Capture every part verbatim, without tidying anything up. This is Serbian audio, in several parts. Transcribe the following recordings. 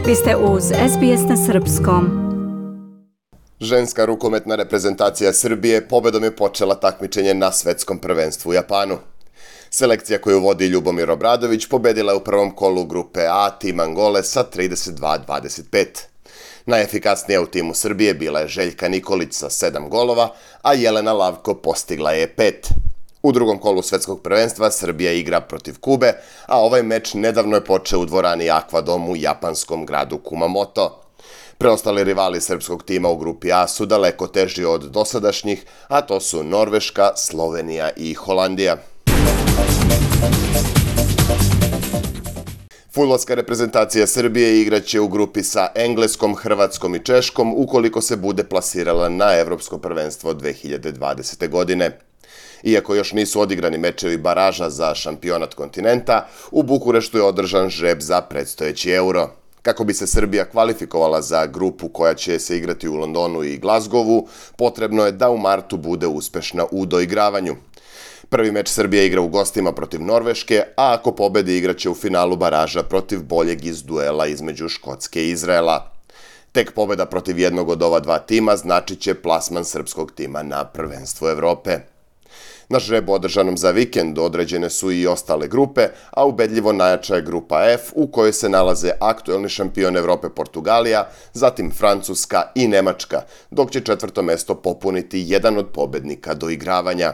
Vi ste uz es be es na srpskom. Ženska rukometna reprezentacija Srbije pobedom je počela takmičenje na svetskom prvenstvu u Japanu. Selekcija koju vodi Ljubomir Obradović pobedila je u prvom kolu grupe A tim Angole sa trideset dva dvadeset pet. Najefikasnija u timu Srbije bila je Željka Nikolić sa sedam golova, a Jelena Lavko postigla je pet. U drugom kolu svetskog prvenstva Srbija igra protiv Kube, a ovaj meč nedavno je počeo u dvorani Aquadom u japanskom gradu Kumamoto. Preostali rivali srpskog tima u grupi A su daleko teži od dosadašnjih, a to su Norveška, Slovenija i Holandija. Fudbalska reprezentacija Srbije igraće u grupi sa Engleskom, Hrvatskom i Češkom ukoliko se bude plasirala na Evropsko prvenstvo dve hiljade dvadesete. godine. Iako još nisu odigrani mečevi baraža za šampionat kontinenta, u Bukureštu je održan žreb za predstojeći Euro. Kako bi se Srbija kvalifikovala za grupu koja će se igrati u Londonu i Glasgowu, potrebno je da u martu bude uspešna u doigravanju. Prvi meč Srbija igra u gostima protiv Norveške, a ako pobedi igraće u finalu baraža protiv boljeg iz duela između Škotske i Izraela. Tek pobeda protiv jednog od ova dva tima značit će plasman srpskog tima na prvenstvo Evrope. Na žrebu održanom za vikend određene su i ostale grupe, a ubedljivo najjača je grupa F u kojoj se nalaze aktuelni šampion Evrope Portugalija, zatim Francuska i Nemačka, dok će četvrto mesto popuniti jedan od pobednika doigravanja.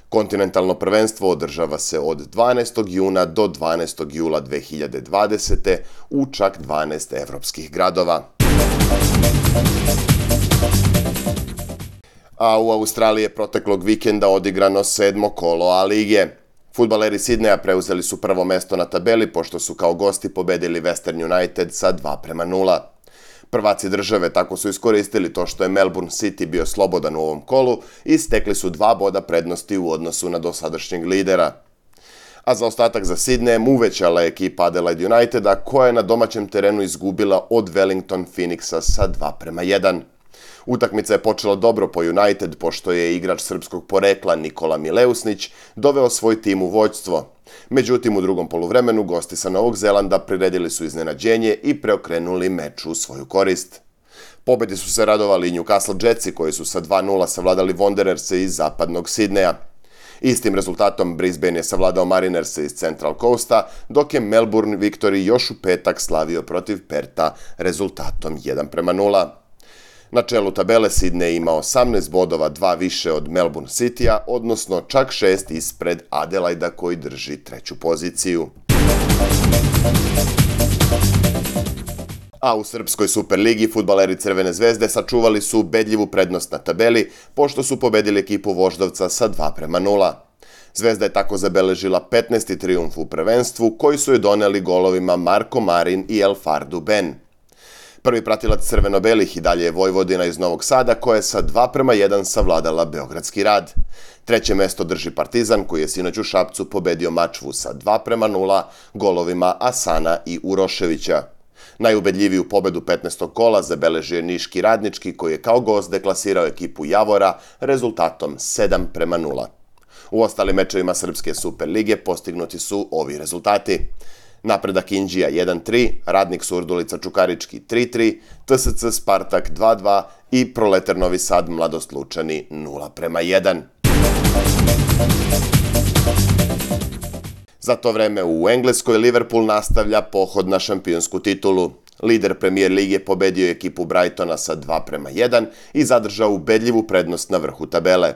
Kontinentalno prvenstvo održava se od dvanaestog juna do dvanaestog jula dve hiljade dvadesete. u čak dvanaest evropskih gradova. A u Australiji je proteklog vikenda odigrano sedmo kolo A lige. Fudbaleri Sidneja preuzeli su prvo mesto na tabeli pošto su kao gosti pobedili Western United sa dva prema nula. Prvaci države tako su iskoristili to što je Melbourne City bio slobodan u ovom kolu i stekli su dva boda prednosti u odnosu na dosadašnjeg lidera. A za ostatak za Sidnejem uvećala je ekipa Adelaide Uniteda koja je na domaćem terenu izgubila od Wellington Phoenixa sa dva prema jedan. Utakmica je počela dobro po United pošto je igrač srpskog porekla Nikola Mileusnić doveo svoj tim u vođstvo. Međutim, u drugom poluvremenu gosti sa Novog Zelanda priredili su iznenađenje i preokrenuli meč u svoju korist. Pobedi su se radovali i Newcastle Jetsi koji su sa dva nula savladali Wandererse iz zapadnog Sidneja. Istim rezultatom Brisbane je savladao Marinerse iz Central Coasta, dok je Melbourne Victory još u petak slavio protiv Perta rezultatom jedan prema nula. Na čelu tabele Sidney ima osamnaest bodova, dva više od Melbourne Citya, odnosno čak šest ispred Adelaida koji drži treću poziciju. A u Srpskoj Superligi fudbaleri Crvene zvezde sačuvali su ubedljivu prednost na tabeli, pošto su pobedili ekipu Voždovca sa dva prema nula. Zvezda je tako zabeležila petnaesti trijumf u prvenstvu, koji su je doneli golovima Marko Marin i El Fardu Ben. Prvi pratilac crveno-belih i dalje je Vojvodina iz Novog Sada, koja je sa dva prema jedan savladala Beogradski Rad. Treće mesto drži Partizan, koji je sinoć u Šapcu pobedio Mačvu sa dva prema nula golovima Asana i Uroševića. Najubedljiviju pobedu petnaestog kola zabeležio je Niški Radnički, koji je kao gost deklasirao ekipu Javora rezultatom sedam prema nula. U ostalim mečevima Srpske Superlige postignuti su ovi rezultati. Napredak Inđija jedan tri, Radnik Surdulica Čukarički tri tri, T S C Spartak dva dva i Proletar Novi Sad Mladost Lučani nula prema jedan. Za to vreme u Engleskoj Liverpool nastavlja pohod na šampionsku titulu. Lider Premier lige pobedio je ekipu Brightona sa dva prema jedan i zadržao ubedljivu prednost na vrhu tabele.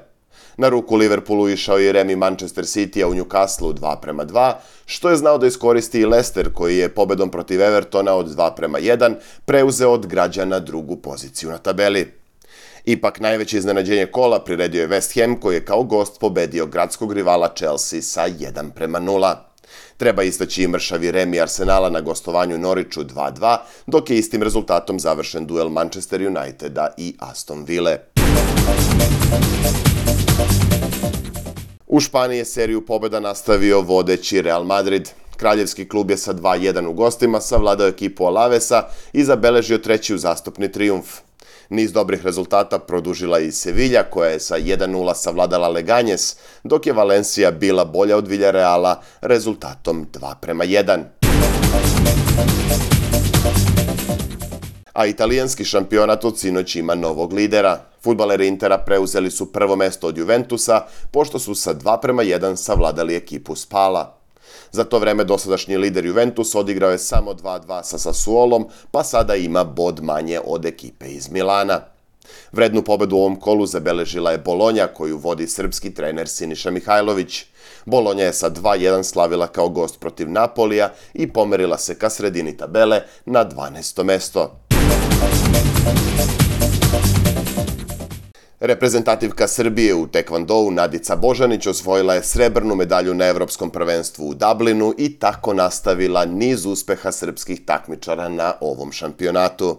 Na ruku Liverpoolu išao je remi Manchester City-a u Newcastleu dva prema dva, što je znao da iskoristi i Leicester koji je pobedom protiv Evertona od dva prema jedan preuzeo od građana drugu poziciju na tabeli. Ipak najveće iznenađenje kola priredio je West Ham koji je kao gost pobedio gradskog rivala Chelsea sa jedan prema nula. Treba istaći i mršavi remi Arsenala na gostovanju Norwichu dva dva, dok je istim rezultatom završen duel Manchester Uniteda i Aston Ville. U Španiji je seriju pobjeda nastavio vodeći Real Madrid. Kraljevski klub je sa dva jedan u gostima savladao ekipu Alavesa i zabeležio treći uzastopni trijumf. Niz dobrih rezultata produžila i Sevilla koja je sa jedan nula savladala Leganjes, dok je Valencia bila bolja od Villareala rezultatom dva prema jedan. A italijanski šampionat od sinoć ima novog lidera. Fudbaleri Intera preuzeli su prvo mesto od Juventusa, pošto su sa dva prema jedan savladali ekipu Spala. Za to vreme dosadašnji lider Juventus odigrao je samo dva dva sa Sassuolom, pa sada ima bod manje od ekipe iz Milana. Vrednu pobedu u ovom kolu zabeležila je Bolonja, koju vodi srpski trener Siniša Mihajlović. Bolonja je sa dva jedan slavila kao gost protiv Napolija i pomerila se ka sredini tabele na dvanaesto mesto. Reprezentativka Srbije u tekvondou Nadica Božanić osvojila je srebrnu medalju na Evropskom prvenstvu u Dublinu i tako nastavila niz uspeha srpskih takmičara na ovom šampionatu.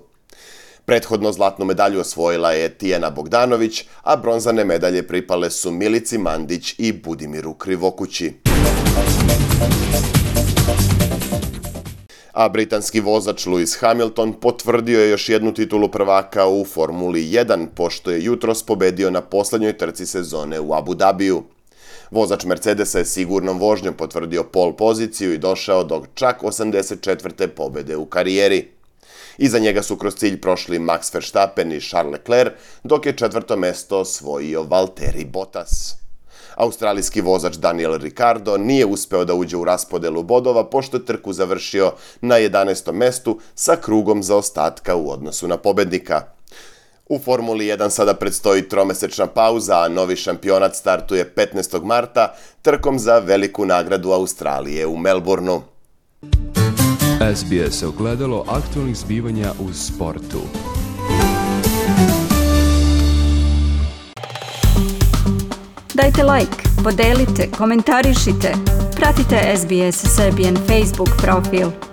Prethodno zlatnu medalju osvojila je Tijana Bogdanović, a bronzane medalje pripale su Milici Mandić i Budimiru Krivokući. A britanski vozač Lewis Hamilton potvrdio je još jednu titulu prvaka u Formuli jedan, pošto je jutros pobedio na poslednjoj trci sezone u Abu Dhabiju. Vozač Mercedesa je sigurnom vožnjom potvrdio pol poziciju i došao do čak osamdeset četvrte pobede u karijeri. Iza njega su kroz cilj prošli Max Verstappen i Charles Leclerc, dok je četvrto mesto osvojio Valtteri Bottas. Australijski vozač Daniel Ricciardo nije uspeo da uđe u raspodelu bodova, pošto je trku završio na jedanaestom mestu sa krugom zaostatka u odnosu na pobednika. U Formuli jedan sada predstoji tromesečna pauza, a novi šampionat startuje petnaestog marta trkom za veliku nagradu Australije u Melbourneu. S B S ogledalo aktualnih zbivanja u sportu. Dajte like, podelite, komentarišite. Pratite S B S Serbian Facebook profil.